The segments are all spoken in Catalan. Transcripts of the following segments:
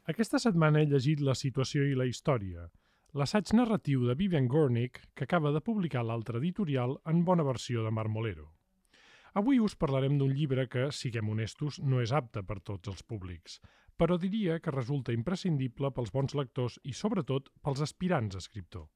Aquesta setmana he llegit La situació i la història, l'assaig narratiu de Vivian Gornick que acaba de publicar l'altre editorial en bona versió de Marmolero. Avui us parlarem d'un llibre que, siguem honestos, no és apte per tots els públics, però diria que resulta imprescindible pels bons lectors i, sobretot, pels aspirants a escriptor.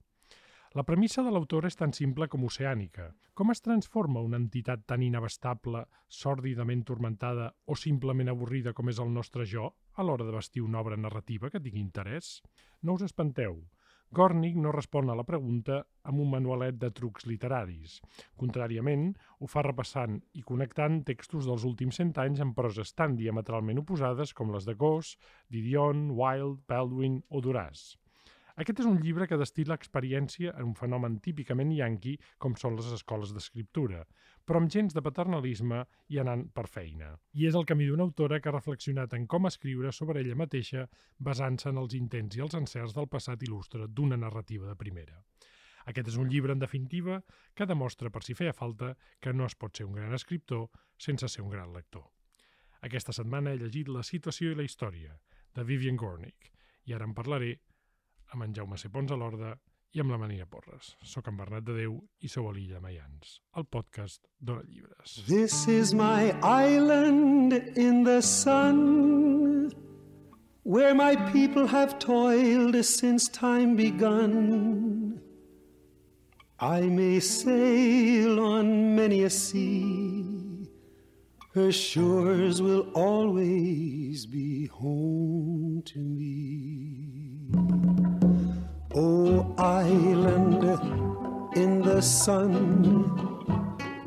La premissa de l'autora és tan simple com oceànica. Com es transforma una entitat tan inabastable, sòrdidament turmentada o simplement avorrida com és el nostre jo a l'hora de vestir una obra narrativa que tingui interès? No us espanteu. Gornick no respon a la pregunta amb un manualet de trucs literaris. Contràriament, ho fa repassant i connectant textos dels últims 100 anys amb proses tan diametralment oposades com les de Gosse, Didion, Wilde, Baldwin o Duras. Aquest és un llibre que destil·la experiència en un fenomen típicament yanqui com són les escoles d'escriptura, però amb gens de paternalisme i anant per feina. I és el camí d'una autora que ha reflexionat en com escriure sobre ella mateixa basant-se en els intents i els encerts del passat il·lustre d'una narrativa de primera. Aquest és un llibre, en definitiva, que demostra, per si feia falta, que no es pot ser un gran escriptor sense ser un gran lector. Aquesta setmana he llegit La situació i la història, de Vivian Gornick, i ara en parlaré amb en Jaume C. Pons a l'Orda i amb la Marina Porres. Soc en Bernat de Déu i sou a l'Illa Maians, el podcast d'Hora Llibres. This is my island in the sun, where my people have toiled since time begun. I may sail on many a sea, her shores will always be home to me. Oh, island in the sun,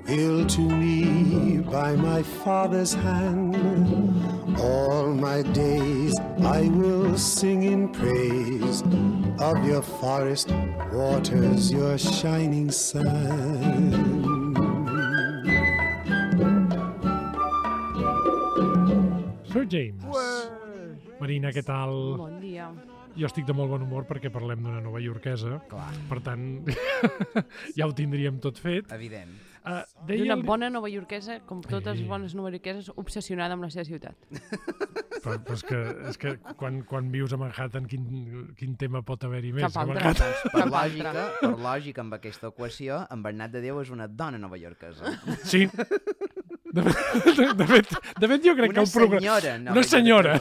built to me by my father's hand, all my days I will sing in praise of your forest waters, your shining sun. Sir James. Marina, què tal? Bon dia. Jo estic de molt bon humor perquè parlem d'una nova iorquesa. Clar. Per tant, ja ho tindríem tot fet. Evident. D'una bona novaiorquesa, com totes les bones novaiorqueses, obsessionada amb la seva ciutat. Però és que quan vius a Manhattan, quin tema pot haver-hi més? Cap altre. Doncs per lògica, amb aquesta equació, en Bernat de Déu és una dona novaiorquesa. Sí. De fet, jo crec que el programa... Una senyora.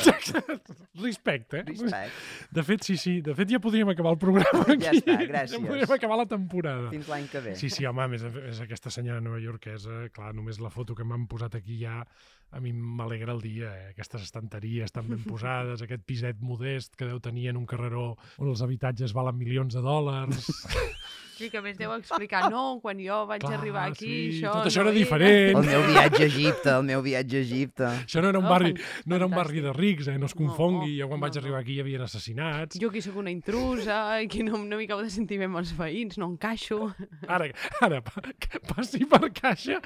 Respecte. De fet, sí. De fet, ja podríem acabar el programa aquí. Ja està, gràcies. Ja podríem acabar la temporada. Fins l'any que ve. Sí, home, és aquesta senyora novaiorquesa. Clar, només la foto que m'han posat aquí ja a mi m'alegra el dia. Aquestes estanteries tan ben posades, aquest piset modest que deu tenir en un carreró on els habitatges valen milions de dòlars. Sí, que a més deu explicar, no, quan jo vaig arribar aquí, sí, això... tot això era diferent. El meu viatge a Egipte, Això no era un barri de rics, no es confongui. Jo quan vaig arribar aquí hi havia assassinats. Jo aquí sóc una intrusa, i no m'hi acabo de sentir bé amb els veïns, no encaixo. Ara, passi per caixa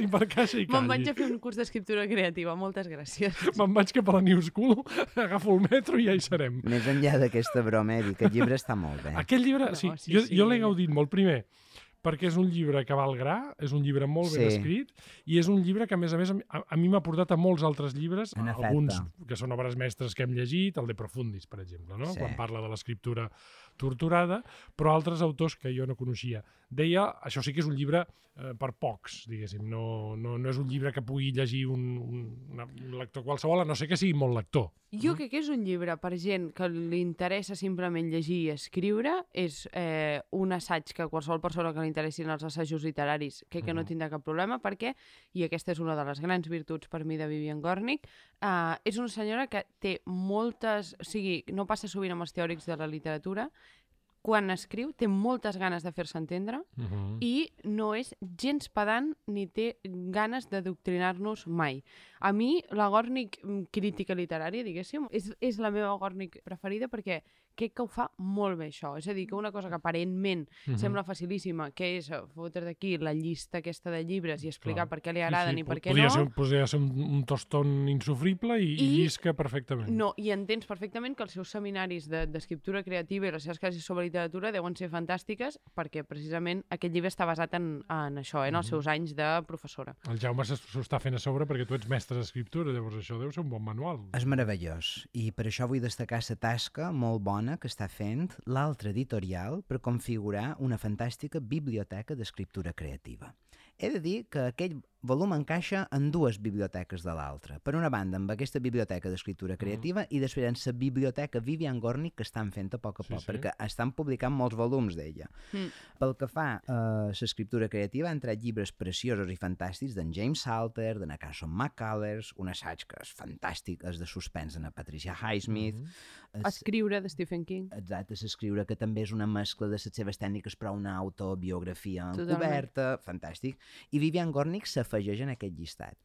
i calli. Me'n vaig a fer un curs d'escriptura creativa, moltes gràcies. Me'n vaig cap a la New School, agafo el metro i ja hi serem. Més enllà d'aquesta broma, aquest llibre està molt bé. Aquest llibre, sí, jo l'he gaudit molt. Primer, perquè és un llibre que va al gra, és un llibre molt ben escrit, i és un llibre que, a més, a mi m'ha portat a molts altres llibres, alguns que són obres mestres que hem llegit, el De Profundis, per exemple, no? Quan parla de l'escriptura torturada, però altres autors que jo no coneixia. Deia, això sí que és un llibre per pocs, diguéssim, no és un llibre que pugui llegir un lector qualsevol, a no ser que sigui molt lector. Jo crec que és un llibre per gent que li interessa simplement llegir i escriure, és un assaig que qualsevol persona que li interessin els assajos literaris crec que no tindrà cap problema, perquè, i aquesta és una de les grans virtuts per mi de Vivian Gornick, és una senyora que té moltes... O sigui, no passa sovint amb els teòrics de la literatura, quan escriu té moltes ganes de fer-se entendre i no és gens pedant ni té ganes d'adoctrinar-nos mai. A mi, la Gornick crítica literària, diguéssim, és la meva Gornick preferida perquè crec que ho fa molt bé, això. És a dir, que una cosa que aparentment sembla facilíssima, que és fotre d'aquí la llista aquesta de llibres i explicar per què li agraden i per què no... Podria ser un tostón insofrible i llisca perfectament. No, i entens perfectament que els seus seminaris d'escriptura creativa i les seves classes sobre literatura deuen ser fantàstiques perquè precisament aquest llibre està basat en això, en els seus anys de professora. El Jaume s'ho està fent a sobre perquè tu ets mestre d'escriptura, llavors això deu ser un bon manual. És meravellós, i per això vull destacar la tasca molt bona que està fent l'altre editorial per configurar una fantàstica biblioteca d'escriptura creativa. He de dir que aquell volum encaixa en dues biblioteques de l'altra. Per una banda, amb aquesta biblioteca d'escriptura creativa i després en la biblioteca Vivian Gornick que estan fent a poc a poc, perquè estan publicant molts volums d'ella. Pel que fa a l'escriptura creativa, han tret llibres preciosos i fantàstics d'en James Salter, de Carson McCullers, un assaig que és fantàstic, és de suspens de Patricia Highsmith. Escriure de Stephen King. Exacte, s'escriure, que també és una mescla de les seves tècniques, però una autobiografia encoberta, fantàstic. I Vivian Gornick s'afegeix en aquest llistat.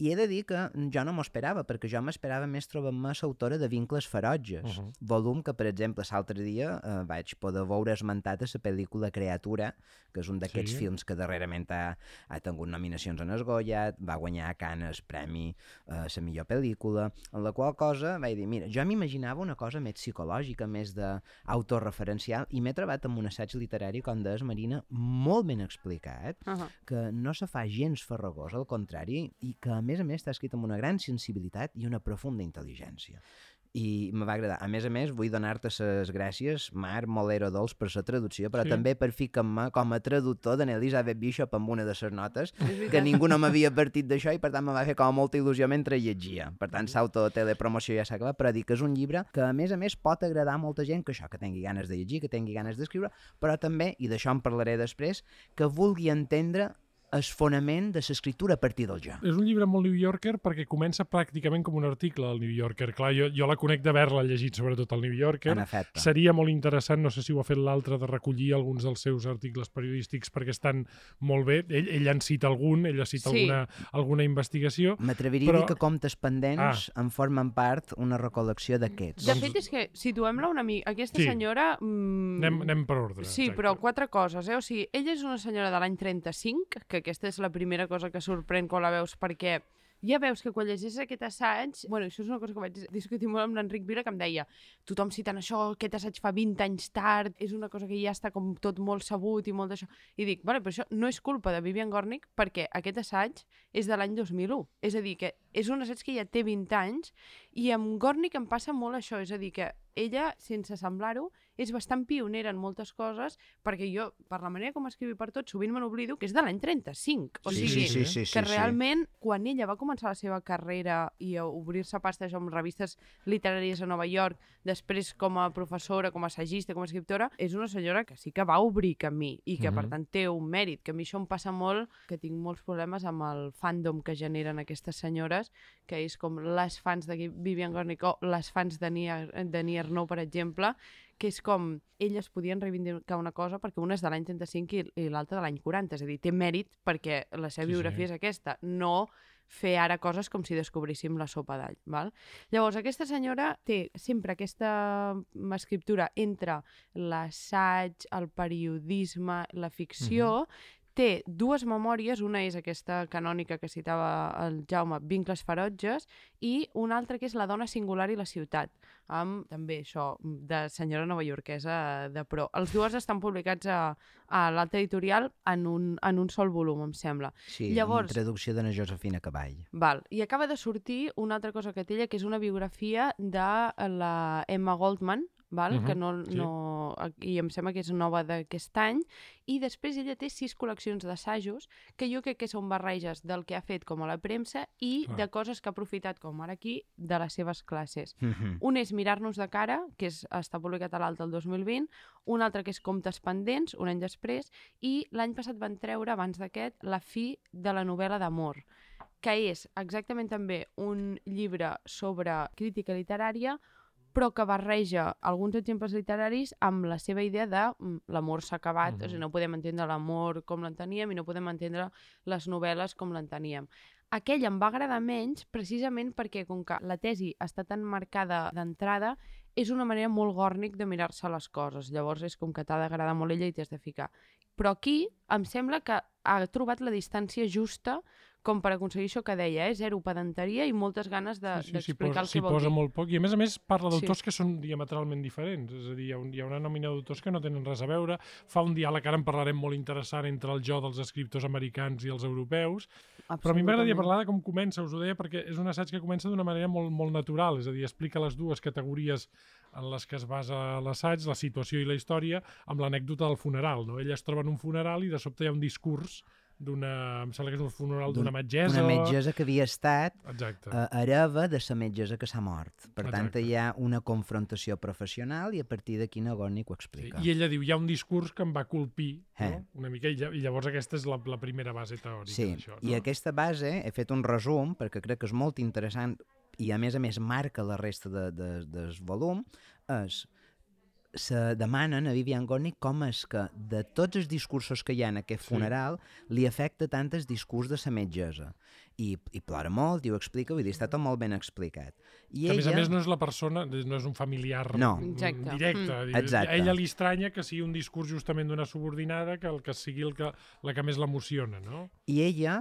I he de dir que jo no m'ho esperava, perquè jo m'esperava més trobar-me l'autora de Vincles ferotges, volum que, per exemple, l'altre dia vaig poder veure esmentat a la pel·lícula Creatura, que és un d'aquests films que darrerament ha tingut nominacions en el Goya, va guanyar a Cannes premi a la millor pel·lícula, en la qual cosa vaig dir, mira, jo m'imaginava una cosa més psicològica, més d'autoreferencial, i m'he trobat amb un assaig literari com d'Es Marina molt ben explicat, que no se fa gens farragós, al contrari, i que a més està escrit amb una gran sensibilitat i una profunda intel·ligència. I me va agradar. A més, vull donar-te les gràcies, Marc Molero Dols, per la traducció, però també per ficar-me com a traductor d'en Elizabeth Bishop amb una de les notes, que ningú no m'havia partit d'això i per tant me va fer com molta il·lusió mentre llegia. Per tant, s'auto-telepromoció ja s'ha acabat, però dic que és un llibre que a més pot agradar a molta gent que això, que tingui ganes de llegir, que tingui ganes d'escriure, però també, i d'això en parlaré després, que vulgui entendre el fonament de l'escriptura a partir del jo. És un llibre molt New Yorker perquè comença pràcticament com un article al New Yorker. Clar, jo la conec d'haver-la llegit sobretot al New Yorker. En efecte. Seria molt interessant, no sé si ho ha fet l'altre, de recollir alguns dels seus articles periodístics perquè estan molt bé. Ell en cita algun, ella cita alguna investigació. M'atreviria a dir que comptes pendents en formen part una recol·lecció d'aquests. De fet, és que situem-la una mica. Aquesta senyora... Anem per ordre. Sí, exacte. Però 4 coses. O sigui, ella és una senyora de l'any 35, que aquesta és la primera cosa que sorprèn quan la veus, perquè ja veus que quan llegeix aquest assaig... Bueno, això és una cosa que vaig discutir molt amb l'Enric Vila, que em deia, tothom citant això, aquest assaig fa 20 anys tard, és una cosa que ja està com tot molt sabut i molt d'això. I dic, vale, però això no és culpa de Vivian Gornick, perquè aquest assaig és de l'any 2001. És a dir, que és un assaig que ja té 20 anys, i amb Gornick em passa molt això, és a dir, que ella, sense semblar-ho, és bastant pionera en moltes coses, perquè jo, per la manera com escriu per tot, sovint me n'oblido que és de l'any 35. O sigui, que realment, quan ella va començar la seva carrera i a obrir-se pastes amb revistes literàries a Nova York, després com a professora, com a assagista, com a escriptora, és una senyora que sí que va obrir camí i que, per tant, té un mèrit, que a mi això em passa molt, que tinc molts problemes amb el fandom que generen aquestes senyores, que és com les fans de Vivian Gornick o les fans de Nia Arnaud, per exemple, que és com elles podien reivindicar una cosa perquè una és de l'any 35 i l'altra de l'any 40, és a dir, té mèrit perquè la seva biografia és aquesta, no fer ara coses com si descobríssim la sopa d'all. Val? Llavors, aquesta senyora té sempre aquesta escriptura entre l'assaig, el periodisme, la ficció. Té 2 memòries, una és aquesta canònica que citava el Jaume, Vincles ferotges, i una altra que és La dona singular i la ciutat, amb també això de senyora novaiorquesa de pro. Els 2 estan publicats a l'altre editorial en un sol volum, em sembla. Sí, llavors, amb traducció d'Anna Josefina Caball. Val. I acaba de sortir una altra cosa que té ella, que és una biografia de la Emma Goldman, val? Que i em sembla que és nova d'aquest any, i després ella té 6 col·leccions d'assajos que jo crec que són barreges del que ha fet com a la premsa i de coses que ha aprofitat, com ara aquí, de les seves classes. Un és Mirar-nos de cara, que està publicat a l'Alta el 2020, un altre que és Comptes pendents, un any després, i l'any passat van treure, abans d'aquest, La fi de la novel·la d'amor, que és exactament també un llibre sobre crítica literària, però que barreja alguns exemples literaris amb la seva idea de l'amor s'ha acabat, o sigui, no podem entendre l'amor com l'enteníem i no podem entendre les novel·les com l'enteníem. Aquell em va agradar menys precisament perquè, com que la tesi està tan marcada d'entrada, és una manera molt Gornick de mirar-se les coses. Llavors és com que t'ha d'agradar molt ella i t'has de ficar. Però aquí em sembla que ha trobat la distància justa com per aconseguir això que deia, zero pedanteria i moltes ganes d'explicar el que vol dir. S'hi posa molt poc i a més parla d'autors que són diametralment diferents, és a dir, hi ha una nòmina d'autors que no tenen res a veure, fa un diàleg, ara en parlarem molt interessant, entre el jo dels escriptors americans i els europeus, però a mi m'agradaria parlar de com comença, us ho deia, perquè és un assaig que comença d'una manera molt, molt natural, és a dir, explica les dues categories en les que es basa l'assaig, la situació i la història, amb l'anècdota del funeral, no? Ella es troba en un funeral i de sobte hi ha un discurs em sembla que és un funeral d'una metgessa. Una metgessa que havia estat hereva de la metgessa que s'ha mort. Per tant, hi ha una confrontació professional i a partir d'aquí Nagorny ho explica. I ella diu, hi ha un discurs que em va colpir, no? Una mica, i llavors aquesta és la primera base teòrica d'això. I aquesta base, he fet un resum, perquè crec que és molt interessant i a més marca la resta del volum, se demanen a Vivian Gornick com és que de tots els discursos que hi ha en aquest funeral li afecta tant el discurs de la metgessa. I plora molt, i ho explica, vull dir, està tot molt ben explicat. Que a més no és la persona, no és un familiar directe. A ella li estranya que sigui un discurs justament d'una subordinada que el que sigui la que més l'emociona, no? I ella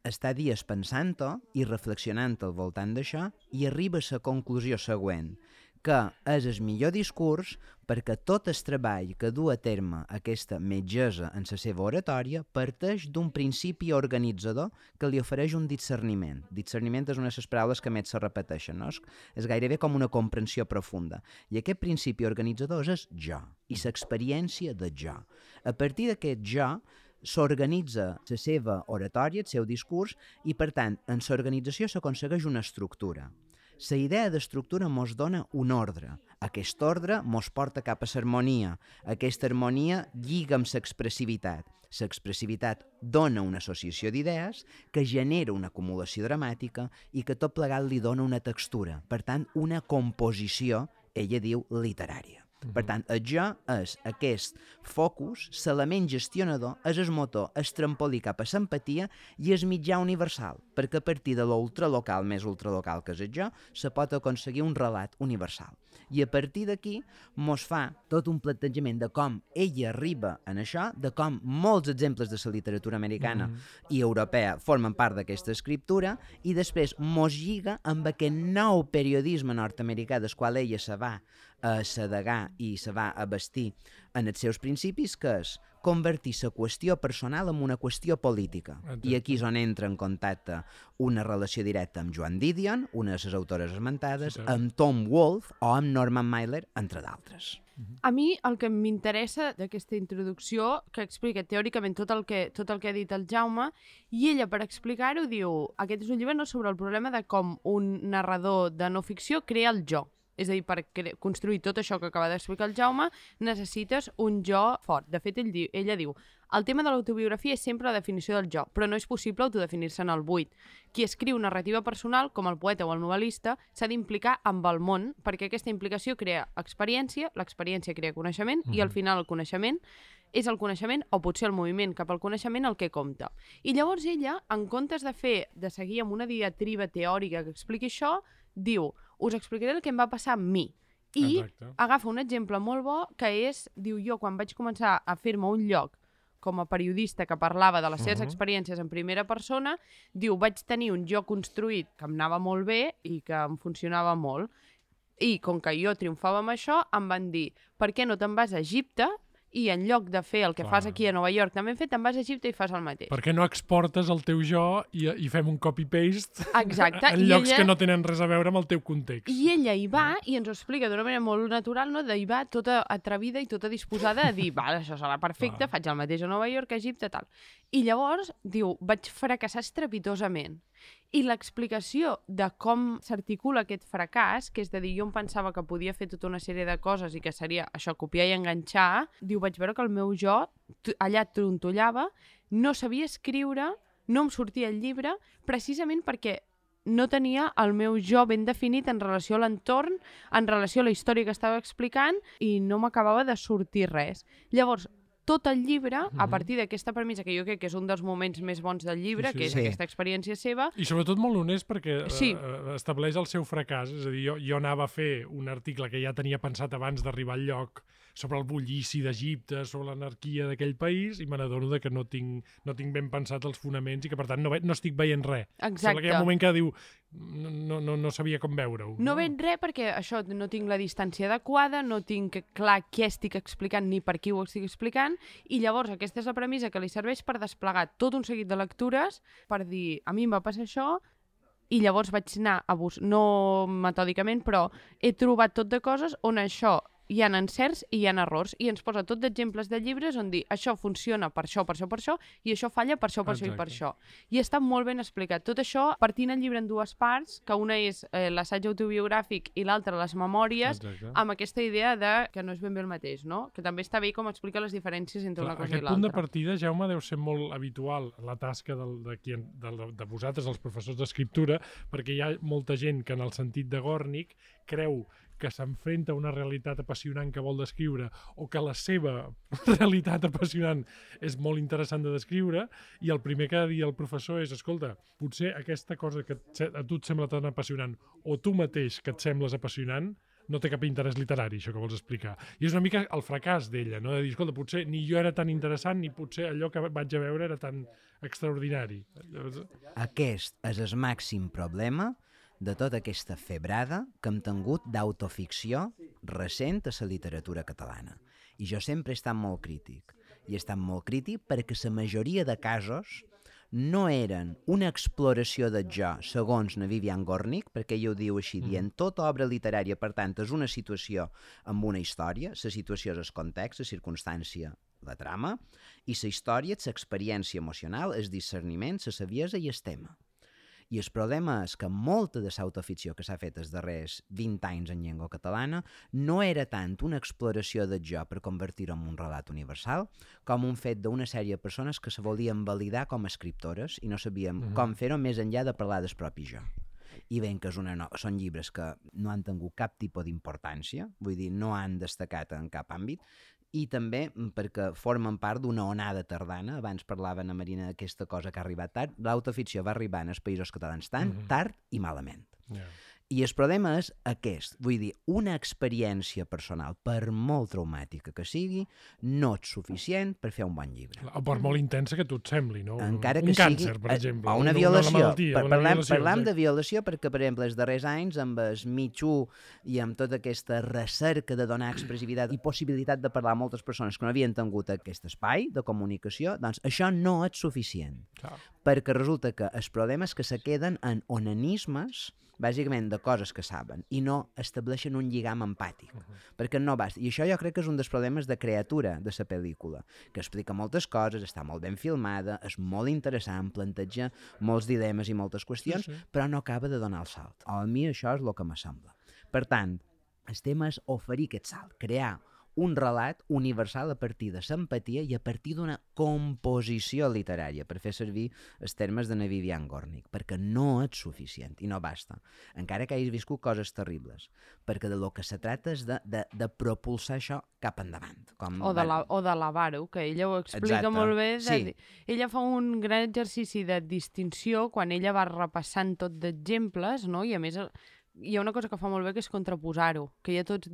està dies pensant-ho i reflexionant al voltant d'això i arriba a la conclusió següent, que és el millor discurs perquè tot el treball que du a terme aquesta metgessa en la seva oratòria parteix d'un principi organitzador que li ofereix un discerniment. Discerniment és una de les paraules que més se repeteixen, no? És gairebé com una comprensió profunda. I aquest principi organitzador és el jo i l'experiència de jo. A partir d'aquest jo s'organitza la seva oratòria, el seu discurs, i per tant, en l'organització s'aconsegueix una estructura. La idea d'estructura mos dona un ordre. Aquest ordre mos porta cap a l'harmonia. Aquesta harmonia lliga amb l'expressivitat. L'expressivitat dona una associació d'idees que genera una acumulació dramàtica i que tot plegat li dona una textura. Per tant, una composició, ella diu, literària. Per tant, el jo és aquest focus, l'element gestionador, és el motor, el trampolí cap a l'empatia i el mitjà universal, perquè a partir de l'ultralocal més ultralocal que és el jo, se pot aconseguir un relat universal. I a partir d'aquí mos fa tot un plantejament de com ella arriba en això, de com molts exemples de la literatura americana i europea formen part d'aquesta escriptura i després mos lliga amb aquest nou periodisme nord-americà del qual ella se va a sedegar i se va a vestir en els seus principis, que és convertir la qüestió personal en una qüestió política. I aquí és on entra en contacte una relació directa amb Joan Didion, una de les autores esmentades, amb Tom Wolfe o amb Norman Mailer, entre d'altres. A mi el que m'interessa d'aquesta introducció, que explica teòricament tot el que ha dit el Jaume, i ella, per explicar-ho, diu: aquest és un llibre sobre el problema de com un narrador de no ficció crea el jo. És a dir, per construir tot això que acaba d'explicar el Jaume, necessites un jo fort. De fet, ella diu: el tema de l'autobiografia és sempre la definició del jo, però no és possible autodefinir-se en el buit. Qui escriu narrativa personal, com el poeta o el novel·lista, s'ha d'implicar amb el món, perquè aquesta implicació crea experiència, l'experiència crea coneixement, i al final el coneixement és el coneixement, o potser el moviment cap al coneixement, el que compta. I llavors ella, en comptes de seguir amb una diatriba teòrica que expliqui això, diu: us explicaré el que em va passar amb mi. I agafa un exemple molt bo, que és, diu, jo quan vaig començar a fer-me un lloc com a periodista que parlava de les seves experiències en primera persona, diu, vaig tenir un jo construït que em anava molt bé i que em funcionava molt. I com que jo triomfava amb això, em van dir: per què no te'n vas a Egipte i en lloc de fer el que fas aquí a Nova York també hem fet, te'n vas a Egipte i fas el mateix? Per què no exportes el teu jo i fem un copy-paste en llocs que no tenen res a veure amb el teu context? I ella hi va i ens ho explica d'una manera molt natural, no? Hi va tota atrevida i tota disposada a dir: val, això serà perfecte, faig el mateix a Nova York, a Egipte, tal. I llavors, diu, vaig fracassar estrepitosament. I l'explicació de com s'articula aquest fracàs, que és de dir, jo em pensava que podia fer tota una sèrie de coses i que seria això, copiar i enganxar, diu, vaig veure que el meu jo allà trontollava, no sabia escriure, no em sortia el llibre, precisament perquè no tenia el meu jo ben definit en relació a l'entorn, en relació a la història que estava explicant, i no m'acabava de sortir res. Llavors, tot el llibre, a partir d'aquesta premissa, que jo crec que és un dels moments més bons del llibre, que és aquesta experiència seva. I sobretot molt honest perquè estableix el seu fracàs. És a dir, jo anava a fer un article que ja tenia pensat abans d'arribar al lloc sobre el bullici d'Egipte, sobre l'anarquia d'aquell país, i me n'adono que no tinc ben pensat els fonaments i que, per tant, no estic veient res. Exacte. Sembla que hi ha un moment que diu no sabia com veure-ho. No veig res perquè això, no tinc la distància adequada, no tinc clar què estic explicant ni per qui ho estic explicant, i llavors aquesta és la premissa que li serveix per desplegar tot un seguit de lectures per dir, a mi em va passar això, i llavors vaig anar a no metòdicament, però he trobat tot de coses on això hi ha encerts i hi ha errors, i ens posa tot d'exemples de llibres on dir això funciona per això, i això falla per això, per això i per això. I està molt ben explicat. Tot això partint el llibre en dues parts, que una és l'assaig autobiogràfic i l'altra les memòries, amb aquesta idea que no és ben bé el mateix, no? Que també està bé com explica les diferències entre una cosa i l'altra. Aquest punt de partida, Jaume, deu ser molt habitual la tasca de vosaltres, els professors d'escriptura, perquè hi ha molta gent que en el sentit de Gornick creu que s'enfrenta a una realitat apassionant que vol descriure o que la seva realitat apassionant és molt interessant de descriure, i el primer que ha de dir el professor és, escolta, potser aquesta cosa que a tu et sembla tan apassionant o tu mateix que et sembles apassionant no té cap interès literari, això que vols explicar. I és una mica el fracàs d'ella, no? De dir, escolta, potser ni jo era tan interessant ni potser allò que vaig a veure era tan extraordinari. Aquest és el màxim problema de tota aquesta febrada que hem tingut d'autoficció recent a la literatura catalana. I jo sempre he estat molt crític. I he estat molt crític perquè la majoria de casos no eren una exploració del jo segons na Vivian Gornick, perquè ella ho diu així, dient tota obra literària, per tant, és una situació amb una història, la situació és el context, la circumstància, la trama, i la història és l'experiència emocional, el discerniment, la saviesa i el tema. I el problema és que molta de l'autoficció que s'ha fet els darrers 20 anys en llengua catalana no era tant una exploració del jo per convertir-ho en un relat universal com un fet d'una sèrie de persones que se volien validar com a escriptores i no sabien com fer-ho més enllà de parlar del propi jo. I veiem que són llibres que no han tingut cap tipus d'importància, vull dir, no han destacat en cap àmbit, i també perquè formen part d'una onada tardana. Abans parlaven a Marina d'aquesta cosa que ha arribat tard. L'autoficció va arribar als Països Catalans tard i malament. I el problema és aquest, vull dir, una experiència personal, per molt traumàtica que sigui, no és suficient per fer un bon llibre. O per molt intensa que tu et sembli, no? Encara que un càncer, per exemple. O una violació. Parlam de violació perquè, per exemple, els darrers anys, amb el Me Too i amb tota aquesta recerca de donar expressivitat i possibilitat de parlar a moltes persones que no havien tingut aquest espai de comunicació, doncs això no és suficient. Perquè resulta que el problema és que se queden en onanismes bàsicament de coses que saben i no estableixen un lligam empàtic, perquè no basta. I això jo crec que és un dels problemes de creatura de la pel·lícula, que explica moltes coses, està molt ben filmada, és molt interessant, planteja molts dilemes i moltes qüestions, però no acaba de donar el salt. A mi això és el que me sembla. Per tant, el tema és oferir aquest salt, crear un relat universal a partir de l'empatia i a partir d'una composició literària, per fer servir els termes de na Vivian Gornick, perquè no és suficient i no basta, encara que hagis viscut coses terribles, perquè de lo que se trata és de propulsar això cap endavant. O d'elevar-ho, que ella ho explica molt bé. Ella fa un gran exercici de distinció quan ella va repassant tot d'exemples, no? I a més hi ha una cosa que fa molt bé, que és contraposar-ho, que hi ha tot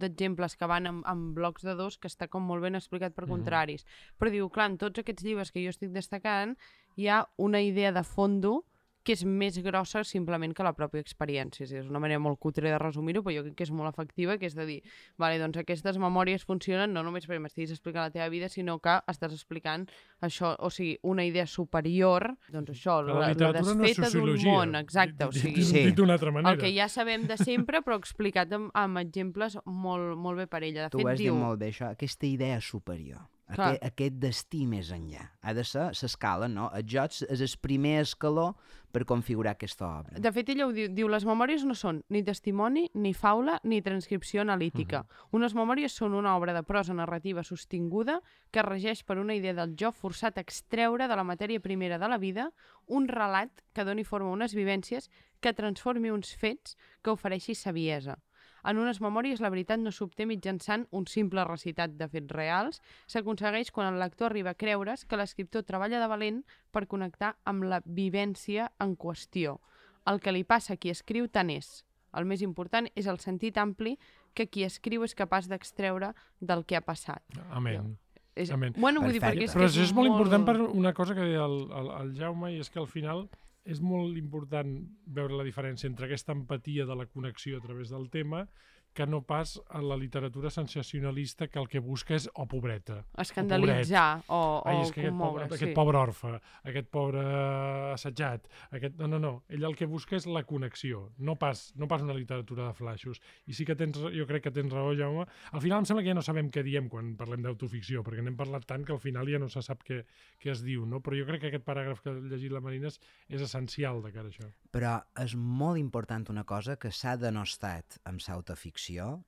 d'exemples que van en blocs de dos, que està com molt ben explicat per contraris. Però diu, clar, en tots aquests llibres que jo estic destacant hi ha una idea de fondo que és més grossa simplement que la pròpia experiència. És una manera molt cutre de resumir-ho, però jo crec que és molt efectiva, que és de dir, vale, doncs aquestes memòries funcionen no només perquè m'estiguis explicant la teva vida, sinó que estàs explicant això, o sigui, una idea superior, doncs això, la desfeta d'un món, exacte. O sigui, dit d'una altra manera. El que ja sabem de sempre, però explicat amb exemples molt bé per ella. De fet, tu ho has dit molt bé, això, aquesta idea superior. Aquest destí més enllà. Ha de ser l'escala, no? El joc és el primer escaló per configurar aquesta obra. De fet, ella ho diu, les memòries no són ni testimoni, ni faula, ni transcripció analítica. Unes memòries són una obra de prosa narrativa sostinguda que regeix per una idea del jo forçat a extreure de la matèria primera de la vida un relat que doni forma a unes vivències, que transformi uns fets, que ofereixi saviesa. En unes memòries la veritat no s'obté mitjançant un simple recitat de fets reals, s'aconsegueix quan el lector arriba a creure's que l'escriptor treballa de valent per connectar amb la vivència en qüestió. El que li passa a qui escriu tant és. El més important és el sentit ampli que qui escriu és capaç d'extreure del que ha passat. Amén. Amén. Bueno, vull dir, perquè Però això és molt important per una cosa que deia el Jaume, i és que al final és molt important veure la diferència entre aquesta empatia de la connexió a través del tema que no pas a la literatura sensacionalista que el que busca és pobreta. Escandalitzar o commoure. Aquest pobre orfe, aquest pobre assetjat. No. Ell el que busca és la connexió, no pas una literatura de flaixos. I sí que jo crec que tens raó, Jaume. Al final em sembla que ja no sabem què diem quan parlem d'autoficció, perquè n'hem parlat tant que al final ja no se sap què es diu, no? Però jo crec que aquest paràgraf que ha llegit la Marina és essencial de cara a això. Però és molt important una cosa que s'ha denostat amb l'autoficció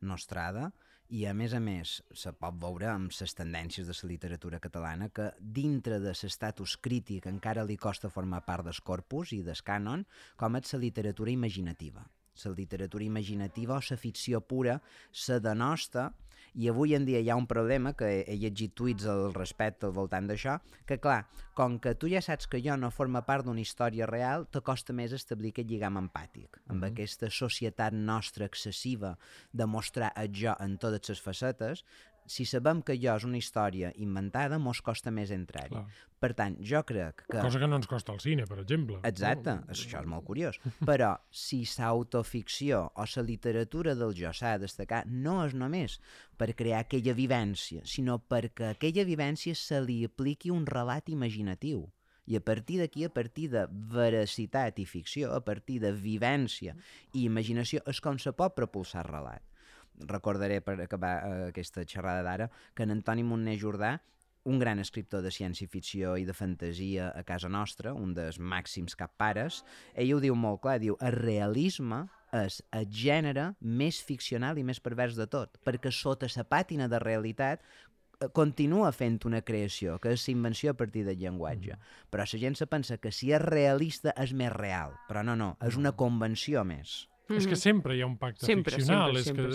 nostrada, i a més se pot veure amb les tendències de la literatura catalana que dintre de l'estatus crític encara li costa formar part del corpus i del cànon, com és la literatura imaginativa. La literatura imaginativa o la ficció pura se denosta, i avui en dia hi ha un problema, que he llegit tuits al respecte al voltant d'això, que clar, com que tu ja saps que jo no forma part d'una història real, te costa més establir aquest lligam empàtic, amb aquesta societat nostra excessiva de mostrar el jo en totes les facetes. Si sabem que jo és una història inventada, mos costa més entrar-hi. Per tant, jo crec que... Cosa que no ens costa al cine, per exemple. Exacte, això és molt curiós. Però si l'autoficció o la literatura del jo s'ha de destacar, no és només per crear aquella vivència, sinó perquè a aquella vivència se li apliqui un relat imaginatiu. I a partir d'aquí, a partir de veracitat i ficció, a partir de vivència i imaginació, és com se pot propulsar el relat. Recordaré, per acabar aquesta xerrada d'ara, que en Antoni Monner Jordà, un gran escriptor de ciència-ficció i de fantasia a casa nostra, un dels màxims cappares, ell ho diu molt clar, diu: el realisme és el gènere més ficcional i més pervers de tot, perquè sota la pàtina de realitat continua fent una creació, que és la invenció a partir del llenguatge. Però la gent se pensa que si és realista és més real, però no, és una convenció més. És que sempre hi ha un pacte ficcional. Sempre.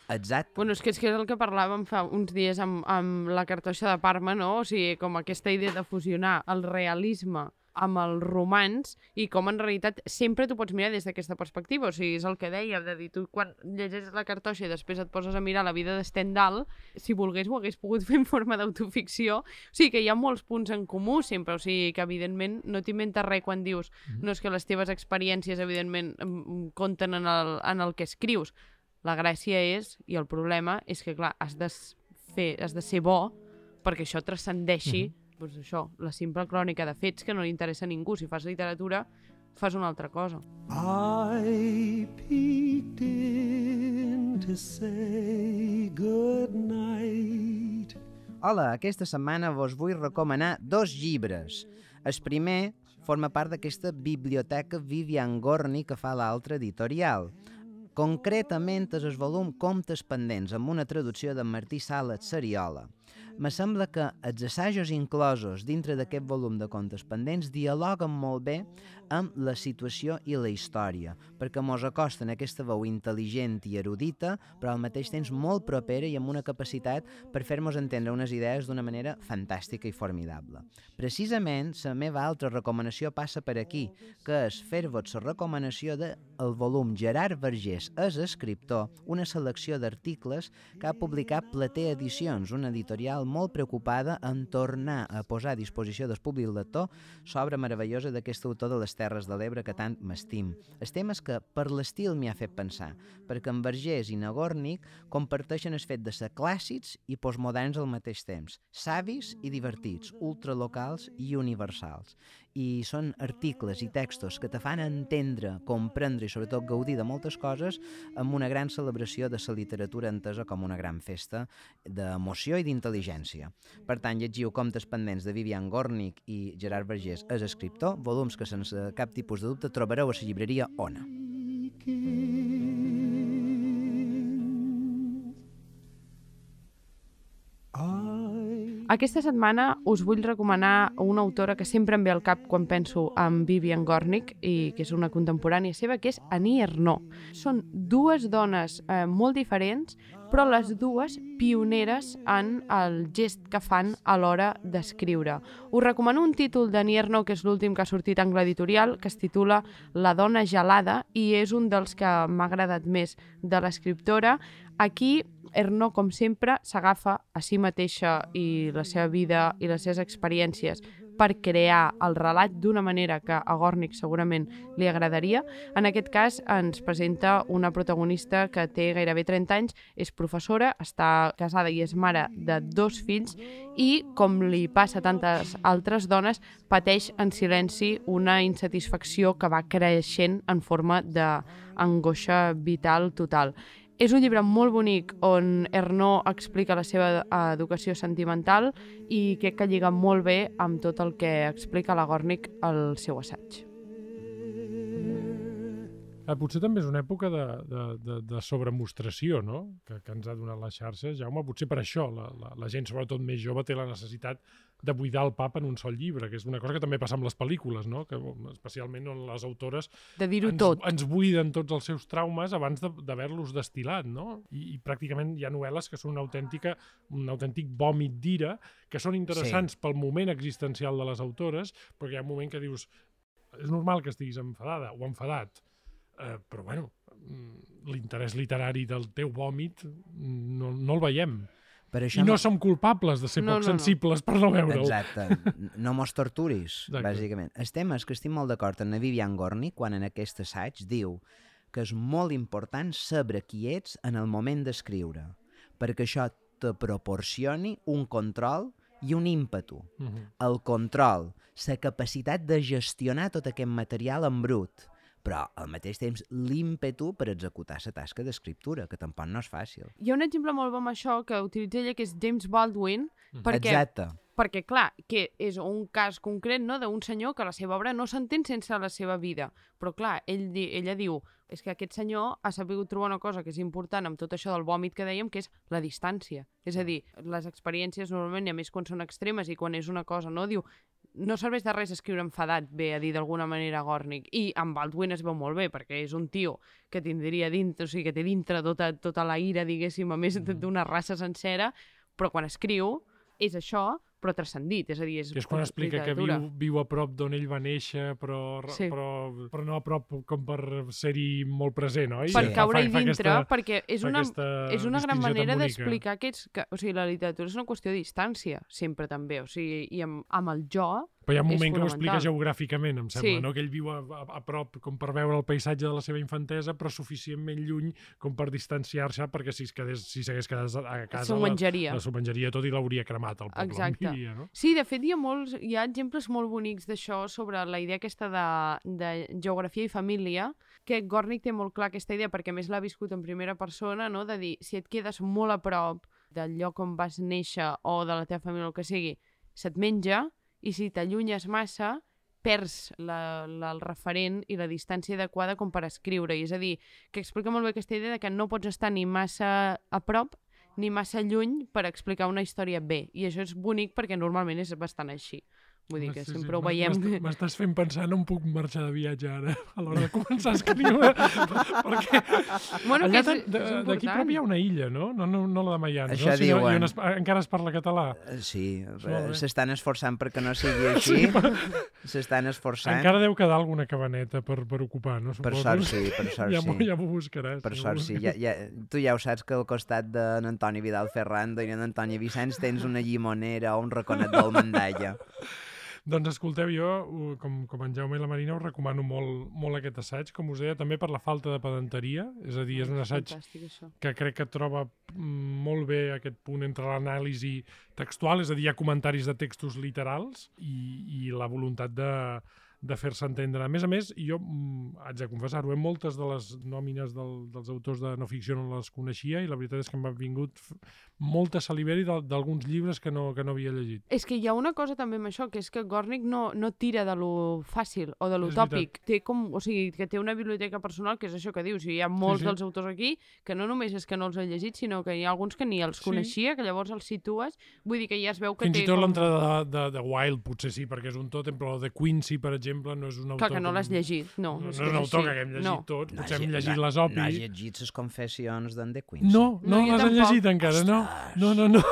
Exacte. Bueno, és que és el que parlàvem fa uns dies amb la cartoixa de Parma, no? O sigui, com aquesta idea de fusionar el realisme amb el romanç i com en realitat sempre t'ho pots mirar des d'aquesta perspectiva. O sigui, és el que deia, de dir, tu quan llegeixes la cartoixa i després et poses a mirar la vida de Stendhal, si volgués ho hagués pogut fer en forma d'autoficció. O sigui, que hi ha molts punts en comú sempre, o sigui, que evidentment no t'inventes res quan dius no és que les teves experiències evidentment compten en el que escrius. La gràcia és, i el problema és que clar, has de ser bo perquè això transcendeixi doncs això, la simple crònica de fets que no li interessa a ningú. Si fas literatura, fas una altra cosa. I peeked in to say good night. Hola, aquesta setmana vos vull recomanar 2 llibres. El primer forma part d'aquesta biblioteca Vivian Gornick que fa l'altra editorial. Concretament és el volum Comptes pendents, amb una traducció de Martí Sales Sariola. Me sembla que els assajos inclosos dintre d'aquest volum de Comptes pendents dialoguen molt bé amb la situació i la història, perquè mos acosten aquesta veu intel·ligent i erudita, però al mateix temps molt propera i amb una capacitat per fer-nos entendre unes idees d'una manera fantàstica i formidable. Precisament, la meva altra recomanació passa per aquí, que és fer-vos la recomanació del volum Gerard Vergés és escriptor, una selecció d'articles que ha publicat Plater Edicions, una editorial molt preocupada en tornar a posar a disposició del públic lector l'obra meravellosa d'aquest autor de les Terres de l'Ebre que tant m'estim. El tema és que per l'estil m'hi ha fet pensar, perquè en Vergés i Gornick comparteixen el fet de ser clàssics i postmoderns al mateix temps, savis i divertits, ultralocals i universals. I són articles i textos que te fan entendre, comprendre i sobretot gaudir de moltes coses amb una gran celebració de la literatura entesa com una gran festa d'emoció i d'intel·ligència. Per tant, llegiu Comptes pendents de Vivian Gornick i Gerard Vergés és escriptor, volums que sense cap tipus de dubte trobareu a la llibreria Ona. Aquesta setmana us vull recomanar una autora que sempre em ve al cap quan penso en Vivian Gornick, i que és una contemporània seva, que és Annie Ernaux. Són dues dones molt diferents, però les dues pioneres en el gest que fan a l'hora d'escriure. Us recomano un títol d'Annie Ernaux, que és l'últim que ha sortit en Editorial, que es titula La dona gelada, i és un dels que m'ha agradat més de l'escriptora. Aquí, Ernaux, com sempre, s'agafa a si mateixa i la seva vida i les seves experiències per crear el relat d'una manera que a Gornick segurament li agradaria. En aquest cas ens presenta una protagonista que té gairebé 30 anys, és professora, està casada i és mare de 2 fills i, com li passa a tantes altres dones, pateix en silenci una insatisfacció que va creixent en forma d'angoixa vital total. És un llibre molt bonic on Ernaux explica la seva educació sentimental i crec que lliga molt bé amb tot el que explica la Gornick al seu assaig. Potser també és una època de sobremostració, no? Que ens ha donat les xarxes. Jaume, potser per això la gent, sobretot més jove, té la necessitat de buidar el pap en un sol llibre, que és una cosa que també passa amb les pel·lícules, no? Que especialment on les autores de dir-ho tot. Ens buiden tots els seus traumes abans d'haver-los destil·lat, no? I pràcticament hi ha novel·les que són un autèntic vòmit d'ira, que són interessants pel moment existencial de les autores, perquè hi ha un moment que dius és normal que estiguis enfadada o enfadat, però bueno, l'interès literari del teu vòmit no el veiem. I no som culpables de ser poc sensibles per no veure'l. Exacte. No mos torturis, bàsicament. El tema és que estic molt d'acord amb la Vivian Gornick quan en aquest assaig diu que és molt important saber qui ets en el moment d'escriure, perquè això te proporcioni un control i un ímpetu. El control, la capacitat de gestionar tot aquest material en brut, però al mateix temps l'ímpetu per executar la tasca d'escriptura, que tampoc no és fàcil. Hi ha un exemple molt bo amb això que utilitza ella, que és James Baldwin, perquè, clar, que és un cas concret, no?, d'un senyor que la seva obra no s'entén sense la seva vida. Però, clar, ella diu és que aquest senyor ha sabut trobar una cosa que és important amb tot això del vòmit que dèiem, que és la distància. És a dir, les experiències normalment, i a més quan són extremes i quan és una cosa, no? Diu, no serveix de res escriure enfadat, ve a dir d'alguna manera Gornick. I amb Baldwin es veu molt bé, perquè és un tio que tindria dintre, o sigui, que té dintre tota la ira, diguéssim, a més d'una raça sencera, però quan escriu és això, però transcendit, és a dir, és quan explica que viu a prop d'on ell va néixer, però no a prop com per ser-hi molt present, oi? Per caure-hi dintre, perquè és una gran manera d'explicar que o sigui, la literatura és una qüestió de distància, sempre també, o sigui, i amb el jo. Però hi ha un moment que ho explica geogràficament, em sembla, no? Que ell viu a prop com per veure el paisatge de la seva infantesa, però suficientment lluny com per distanciar-se, perquè si s'hagués quedat a casa s'ho menjaria tot i l'hauria cremat al poble. Exacte. No? Sí, de fet hi ha exemples molt bonics d'això sobre la idea aquesta de geografia i família, que Gornick té molt clar aquesta idea, perquè més l'ha viscut en primera persona, no? De dir, si et quedes molt a prop del lloc on vas néixer o de la teva família o el que sigui, se't menja, i si t'allunyes massa, perds el referent i la distància adequada com per escriure. I és a dir, que explica molt bé aquesta idea de que no pots estar ni massa a prop ni massa lluny per explicar una història bé. I això és bonic perquè normalment és bastant així. Vull dir que sempre ho veiem. M'estàs fent pensar, no em puc marxar de viatge ara, a l'hora de començar a escriure, perquè allà d'aquí prop hi ha una illa, no? No la de Mayans, això diuen. Encara es parla català. Sí, s'estan esforçant perquè no sigui així. S'estan esforçant. Encara deu quedar alguna cabaneta per ocupar, no? Per sort sí. Ja m'ho buscaràs. Per sort sí. Tu ja ho saps que al costat d'en Antoni Vidal Ferrando i en Antoni Vicenç tens una llimonera o un raconet del Mandalla. Doncs escolteu, jo, com en Jaume i la Marina, us recomano molt aquest assaig, com us deia, també per la falta de pedanteria, és a dir, és un assaig que crec que troba molt bé aquest punt entre l'anàlisi textual, és a dir, hi ha comentaris de textos literals i la voluntat de fer-se entendre. A més, jo haig de confessar-ho, moltes de les nòmines dels autors de no ficció no les coneixia i la veritat és que m'ha vingut molta saliveri d'alguns llibres que no havia llegit. És que hi ha una cosa també amb això, que és que Gornick no tira de lo fàcil o de lo tòpic. Té o sigui, que té una biblioteca personal, que és això que dius. Hi ha molts dels autors aquí que no només és que no els he llegit, sinó que hi ha alguns que ni els coneixia, que llavors els situes. Vull dir que ja es veu que Fins i tot l'entrada de Wilde potser sí, perquè és un tòtem, però el de Quincy, per exemple, no és un autor... Clar, que no l'has llegit, no. No és un autor que haguem llegit tots, potser hem llegit l'Esopi. No has llegit les confessions d'en de Quincy? No les he llegit encara, no. No.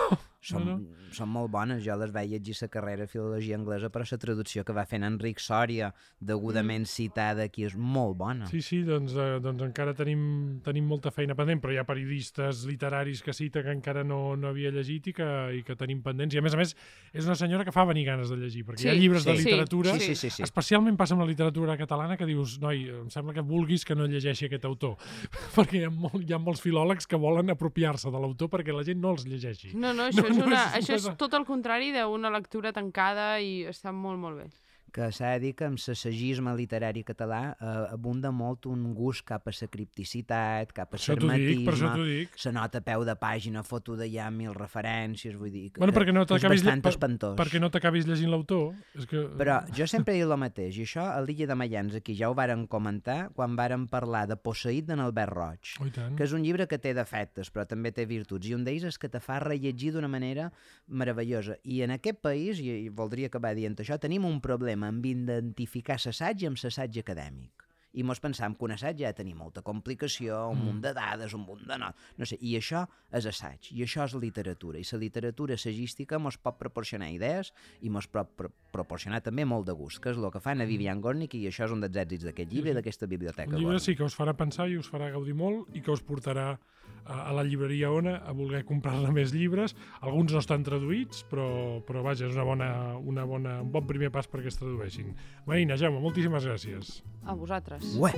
Són molt bones. Jo les vaig llegir la carrera de Filologia Anglesa, però la traducció que va fer en Enric Sòria, degudament citada aquí, és molt bona. Sí, doncs encara tenim molta feina pendent, però hi ha periodistes literaris que cita que encara no havia llegit i que tenim pendents. I a més, és una senyora que fa venir ganes de llegir, perquè hi ha llibres de literatura, especialment passa amb la literatura catalana, que dius, noi, em sembla que vulguis que no llegeixi aquest autor, perquè hi ha molts filòlegs que volen apropiar-se de l'autor perquè la gent no els llegeixi. No, això és tot el contrari d'una lectura tancada i està molt, molt bé. Que s'ha de dir que amb l'assaggisme literari català abunda molt un gust cap a la cripticitat, cap a l'hermetisme, se nota a peu de pàgina, foto d'allà 1000 referències, vull dir que perquè és bastant espantós. Perquè no t'acabis llegint l'autor. Però jo sempre he dit el mateix, i això a l'Illa de Mayans aquí ja ho vàrem comentar quan vàrem parlar de Posseït d'en Albert Roig, que és un llibre que té defectes però també té virtuts, i un d'ells és que te fa rellegir d'una manera meravellosa. I en aquest país, i voldria acabar dient això, tenim un problema amb identificar l'assaig amb l'assaig acadèmic. I mos pensam que un assaig ja tenim molta complicació, un munt de dades, un munt de no sé, i això és assaig, i això és literatura, i la literatura assagística mos pot proporcionar idees i mos pot proporcionar també molt de gust, que és el que fan a Vivian Gornick, i això és un dels èxits d'aquest llibre i d'aquesta biblioteca. Un llibre sí que us farà pensar i us farà gaudir molt i que us portarà a la llibreria Ona a voler comprar-ne més llibres. Alguns no estan traduïts, però vaja, és un bon primer pas perquè es tradueixin. Marina, Jaume, moltíssimes gràcies. A vosaltres. Ué!